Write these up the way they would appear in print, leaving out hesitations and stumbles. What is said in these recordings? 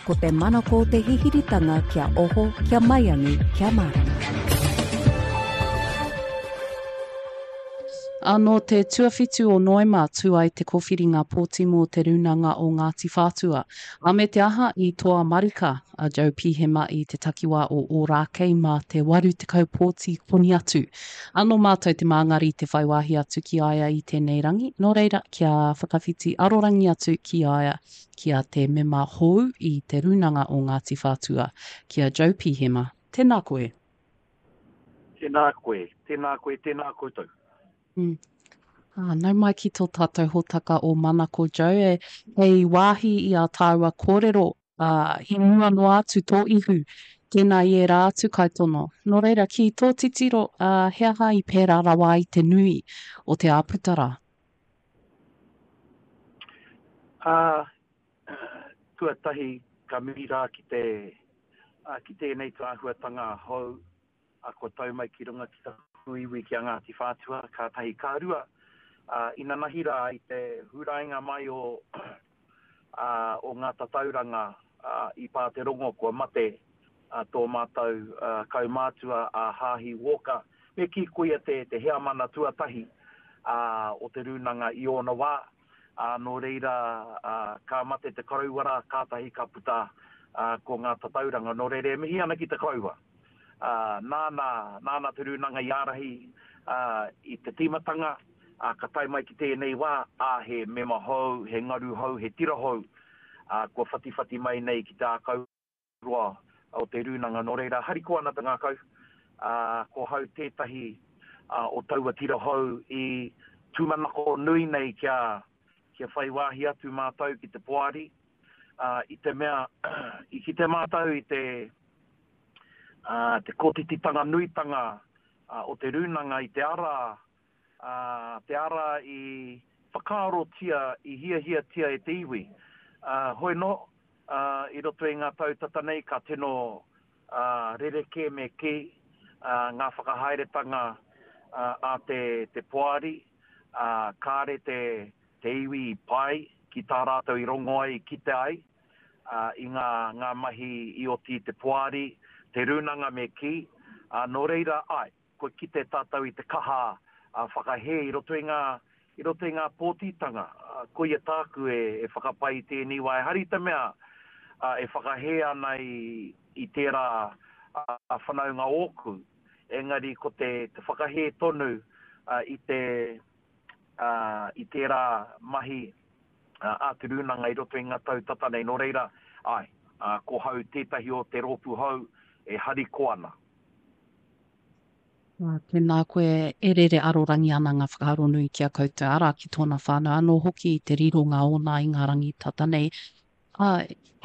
Ko te manako te hihiritanga kia oho, kia maiangi, kia mārama. Ā, nō te tuawhitu o Noema tū ai te kōwhiringa pōti mō Te Rūnanga o Ngāti Whātua. Ā, me te aha, i toa marika a Joe Pihema i te takiwā o Ōrākei mā te 80 pōti koni atu. Ā, nō mātou te māngari te whai wāhi atu ki a ia i tēnei rangi, nō reira, kia whakawhiti arorangi atu ki a ia ki a te mema hou i Te Rūnanga o Ngāti Whātua, ki a Joe Pihema. Tēnā koe. Tēnā koe, tēnā koe, tēnā koutou. Mm. Ah, nau mai ki tō tātou hōtaka o Manako Joe, e, hei wāhi i ā tāua kōrero, ā, i mua noa atu tō ihu, tēnā i ērā atu kaitono. Nō reira, ki tō titiro, ā, he aha i pērā rawa ai te nui o te āputa rā? Ā, tuatahi ka mihi rā ki te, ā, ki tēnei tūāhuatanga hou, ā, kua tau mai ki runga ki taku iwi ki a Ngāti Whātua, ka tahi. Ka rua, ā, inanahi rā i te hurainga mai o, ā, o ngā tatauranga, ā, i pā te rongo kua mate, ā, tō mātou, ā, kaumātua a Hāhi Walker, me kī koia te, te heamana tuatahi, ā, o te rūnanga i ōna wā, ā, nō reira, ā, ka mate te koroua rā, kātahi ka puta, ā, ko ngā tatauranga. Nō reira, e mihi ana ki te koroua, ā, nāna, nāna te rūnanga i ārahi, ā, i te tīmatanga, ā, ka tae mai ki tēnei wā, ā, he mema hou, he ngaru hou, he tira hou, ā, kua whatiwhati mai nei ki te ākau roa o te rūnanga. Nō reira, harikoa ana te ngākau, ā, ko hau tētahi o taua tira hou i tūmanako nui nei kia, kia whai wāhi atu mātou ki te poari, ā, i te mea, i kite mātou i te, ā, te kotititanga nuitanga o te rūnanga i te ara ā, te ara i whakaarotia, i hiahiatia e te iwi. Ā, hoi nō, ā, i roto i ngā tau tata nei ka tino, ā, rerekē me kī, ā, ngā whakahaeretanga, ā, a te, te poari, ā, kāre te, te iwi i pai ki tā rātou i rongo ai, i kite ai, ā, i ngā, ngā mahi i oti i te poari, te rūnanga me kī, ā, nō reira, āe. Kua kite tātou i te kaha whakahē i roto i ngā, i roto i ngā pōtitanga. Koia tāku e, e whakapai i tēnei wā. Ehara i te mea e whakahē ana i, i tērā whanaunga ōku, engari ko te, te whakahē tonu i te, i tērā mahi a Te Rūnanga i roto i ngā tau tata nei. Nō reira, āe, ko hau tētahi o te rōpū hou e harikoa ana. Ā, tēnā koe e rere arorangi ana ngā whakaaro nui ki a koutou, arā, ki tōna whānau anō hoki i te rironga ōna i ngā rangi tata nei. Ā,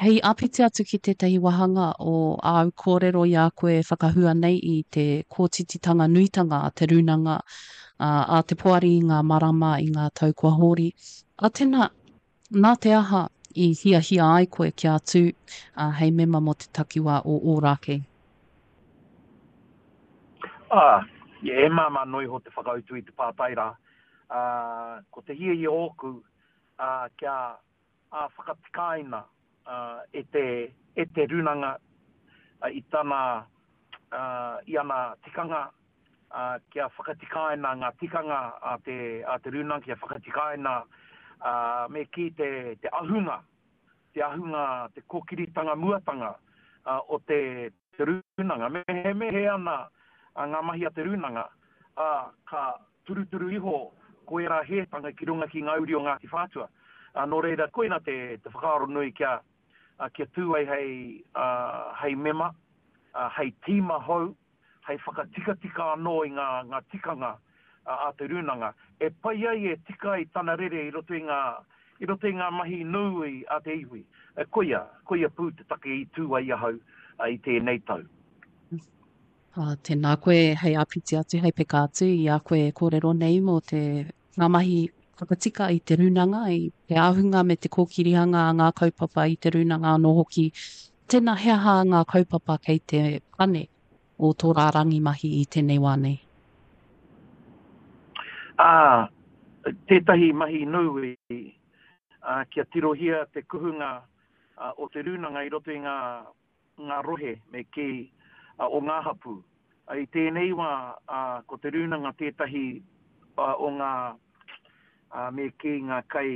hei āpiti atu ki tētahi wāhanga o āu kōrero i a koe e whakahua nei i te kōtititanga nuitanga a te rūnanga, ā, a te poari i ngā marama, i ngā tau kua hori. Ā, tēnā, nā te aha i hiahia ai koe kia tū, ā, hei mema mō te takiwā o Ōrākei? Ā, e māmā noa iho te whakautu i te pātai rā. Ā, ko te hiahia ōku, ā, kia, ā, whakatikaina, ā, e te, e te Rūnanga, ā, i tana, ā, i ana tikanga, ā, kia whakatikaina ngā tikanga a te, a te Rūnanga, kia whakatikaina, ā, me kī te, te ahunga te ahunga, te kōkiritanga muatanga o te rūnanga. Me he ana ngā mahi a te rūnanga, ā, ka turuturu iho ko ērā hētanga ki runga ki ngā uri o Ngāti Whātua. Nō reira, koina te whakaaro nui kia, kia tū ai hei, hei mema, hei tīma hou, hei whakatikatika anō i ngā, ngā tikanga a te rūnanga, e pai ai, e tika ai tana rere i roto i ngā, i roto i ngā mahi nui a te iwi. Koia, koia pū te take i tū ai ahau i tēnei tau. Ā, tēnā koe hei āpiti atu, hei peka atu i a koe e kōrero nei mō te, ngā mahi whakatika i te rūnanga, i te ahunga me te kōkirihanga a ngā kaupapa i te rūnanga anō hoki. Tēnā, he aha ngā kaupapa kei te pane o tō rārangi mahi i tēnei wā nei? Ā, tētahi mahi nui, ā, kia tirohia te kuhunga, o te rūnanga i roto i ngā, ngā rohe me kī, o ngā hapū. I tēnei wā, ko te rūnanga tētahi o ngā, me kī, ngā kai,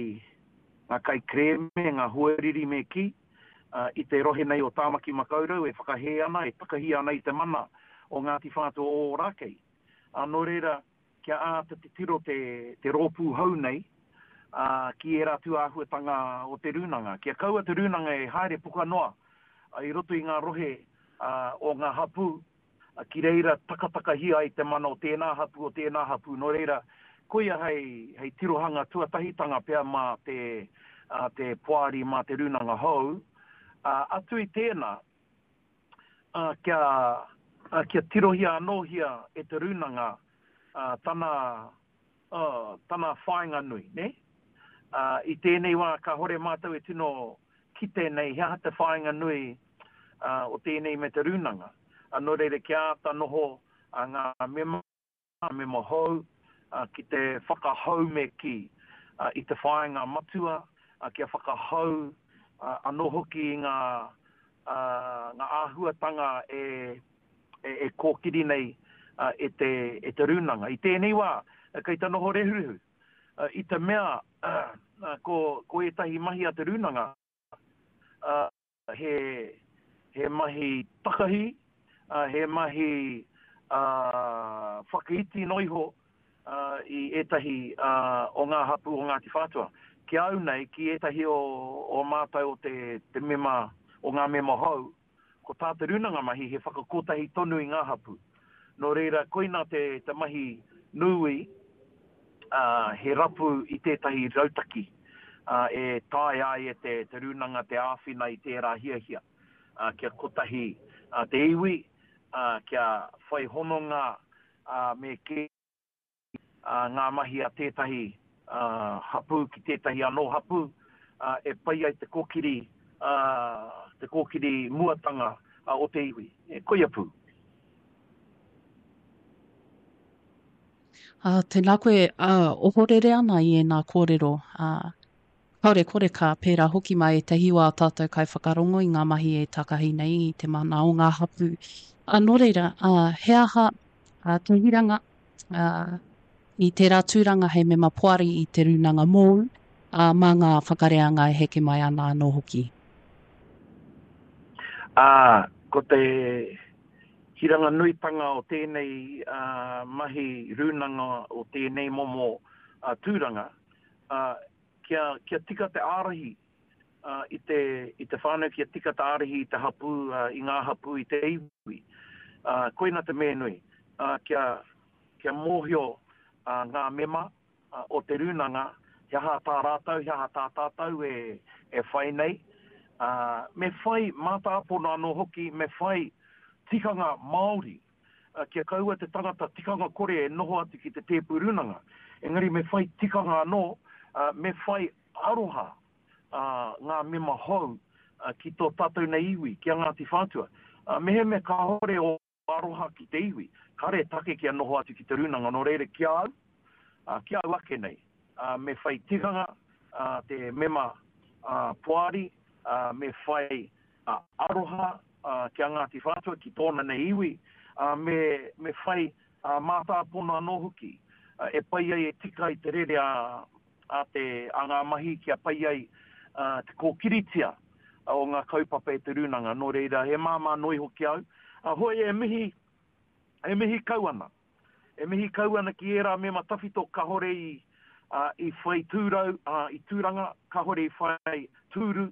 ngā kaikerēme, ngā hoariri me kī, i te rohe nei o Tāmaki Makaurau e whakahē ana, e takahi ana i te mana o Ngāti Whātua o Ōrākei. Nō reira, kia āta titiro te, te rōpū hou nei, ā, ki ērā tū āhuatanga o te rūnanga. Kia kaua te rūnanga e haere puka noa i roto i ngā rohe o ngā hapū, ki reira takatakahia ai te mana o tēnā hapū, o tēnā hapū. Nō reira, koia hei, hei tirohanga tuatahitanga pea mā te, ā, te poari, mā te rūnanga hou. Ā, atu i tēnā, ā, kia, ā, kia tirohia anōhia e te rūnanga, ā, tana, ā, tana whāinga nui, nē? Ā, i tēnei wā kāhore mātou e tino kite nei he aha te whāinga nui, ā, o tēnei me te rūnanga. Ā, nō reira kia āta noho, ā, ngā mema, ngā mema hou, ā, ki te whakahou me kī, ā, i te whāinga matua, ā, kia whakahou, ā, anō hoki i ngā, ā, ngā āhuatanga e, e, e kōkiri nei, ā, e te, e te rūnanga. I tēnei wā, kei te noho rehurehu, ā, i te mea, ā, ko, ko ētahi mahi a te rūnanga, ā, he, he mahi takahi, he mahi whakaiti noa iho i ētahi o ngā hapū o Ngāti Whātua. Ki a au nei, ki ētahi o, o mātou o te, te mema, o ngā mema hou, Ko tā te rūnanga mahi he whakakotahi tonu i ngā hapū. Nō reira, koinā te, te mahi nui, ā, he rapu i tētahi rautaki, ā, e taea ai e te, te rūnanga te āwhina i tērā hiahia, ā, kia kotahi, ā, te iwi, ā, kia whai hononga, ā, me kī, ngā mahi a tētahi hapū ki tētahi anō hapū, e pai ai te kōkiri, te kōkiri muatanga o te iwi. Koia pū. Ā, tēnā koe, ā, ohorere ana i ēnā kōrero, ā, kāore kore ka pērā hoki mā ētahi o ā tātou kaiwhakarongo i ngā mahi e takahi nei i te mana o ngā hapū. Ā, nō reira, ā, he aha, ā, te hiranga, ā, i tērā tūranga hei mema poari i te rūnanga mōu, ā, mā ngā whakareanga e heke mai ana anō hoki. Ā, ko te hiranga nuitanga o tēnei mahi rūnanga o tēnei momo tūranga, ā, kia, kia tika te ārahi i te, i te whānau, kia tika te ārahi i te hapū, i ngā hapū, i te iwi. Koina te mea nui, kia, kia mōhio ngā mema o te rūnanga he aha tā rātou, he aha tā tātou e, e whai nei. Me whai mātāpono anō hoki, me whai tikanga Māori kia kaua te tangata tikanga kore e noho atu ki te tēpu rūnanga. Engari me whai tikanga anō, me whai aroha ngā mema hou ki tō tātou nei iwi, ki a Ngāti Whātua. Mehemea kāore ō aroha ki te iwi, kāre take kia noho atu ki te rūnanga, nō reira ki a au, ki a au ake nei, me whai tikanga te mema poari, me whai aroha ki a Ngāti Whātua, ki tōna nei iwi, me, me whai mātāpono anō hoki e pai ai, e tika ai te rere a, a te, a ngā mahi kia pai ai te kōkiritia o ngā kaupapa e te rūnanga. Nō reira, he māmā noa iho ki a au. Hoi e mihi, e mihi kau ana. E mihi kau ana ki ērā mema tawhito kahore i, i whai tūrau, i tūranga, kahore i whai tūru,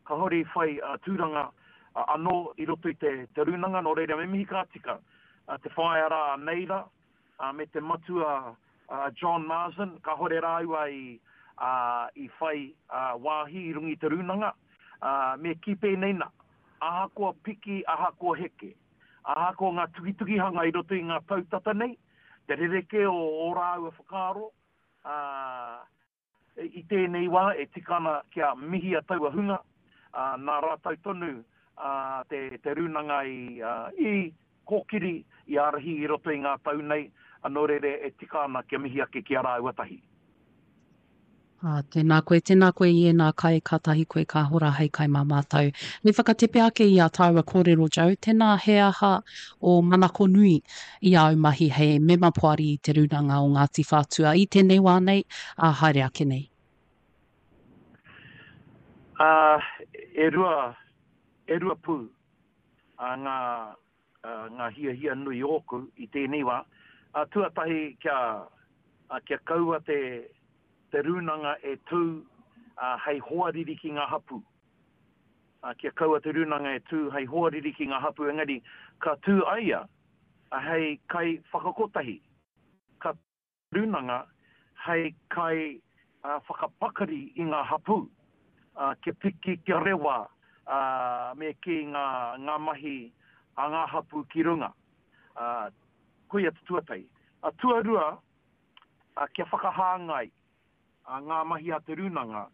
kahore i whai tūranga anō i roto i te, te rūnanga. Nō reira, me mihi ka tika te whaea rā a Neira, me te matua a John Marsden, kahore rāua i, i whai wāhi i runga i te rūnanga. Me kī pēnei nā, ahakoa piki, ahakoa heke, ahakoa ngā tukitukihanga i roto i ngā tau tata nei, te rerekē o ō rāua whakaaro, ā, i tēnei wā e tika ana kia mihia taua hunga, ā, nā rātou tonu te, te rūnanga i, i kōkiri, i ārahi i roto i ngā tau nei, nō reira e tika ana kia mihi ake ki a rāua tahi. Ā, tēnā koe, tēnā koe i ēnā kai, kātahi koe ka hora hei kai mā mātou. Me whakatepe ake i ā tāua kōrero, Joe, tēnā he aha ō manako nui i āu mahi hei mema poari i Te Rūnanga o Ngāti Whātua i tēnei wā nei, ā, haere ake nei? Ā, e rua, e rua pū ngā, ngā hiahia nui ōku i tēnei wā. Tuatahi kia, kia kaua te, te rūnanga e tū hei hoariri ki ngā hapū. Kia kaua te rūnanga e tū hei hoariri ki ngā hapū engari ka tū a ia hei kai whakakotahi, ka Rūnanga hei kai whakapakari i ngā hapū, kia piki, kia rewa me kī ngā mahi a ngā hapū ki runga. Koia te tuatahi. Tuarua, kia whakahāngai ngā mahi a te Rūnanga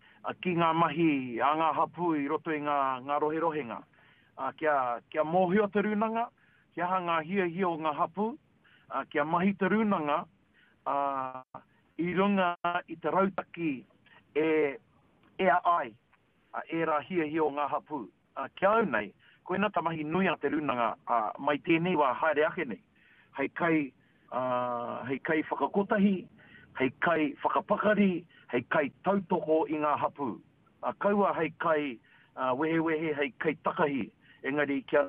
ki ngā mahi a ngā hapū i roto i ngā roherohenga. Kia mōhio te Rūnanga, he aha ngā hiahia o ngā hapū, kia mahi te Rūnanga i runga i te rautaki e ea ai ērā hiahia o ngā hapū. Ki a au nei, koina ta mahi nui a te Rūnanga mai tēnei wā haere ake nei, hei kai, hei kai whakakotahi, hei kai whakapakari, hei kai tautoko i ngā hapū. Kaua hei kai wehewehe, hei kai takahi, engari kia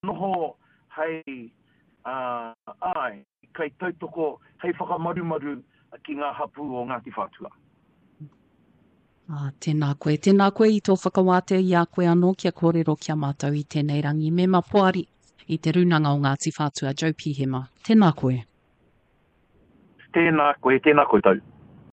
noho hei, āe, kaitautoko, hei whakamarumaru ki ngā hapū o Ngāti Whātua. Ā, tēnā koe. Tēnā koe i tō whakawātea i a koe anō kia kōrero ki a mātou i tēnei rangi. Mema Poari i Te Rūnanga o Ngāti Whātua, Joe Pihema. Tēnā koe. Tēnā koe, tēnā koutou.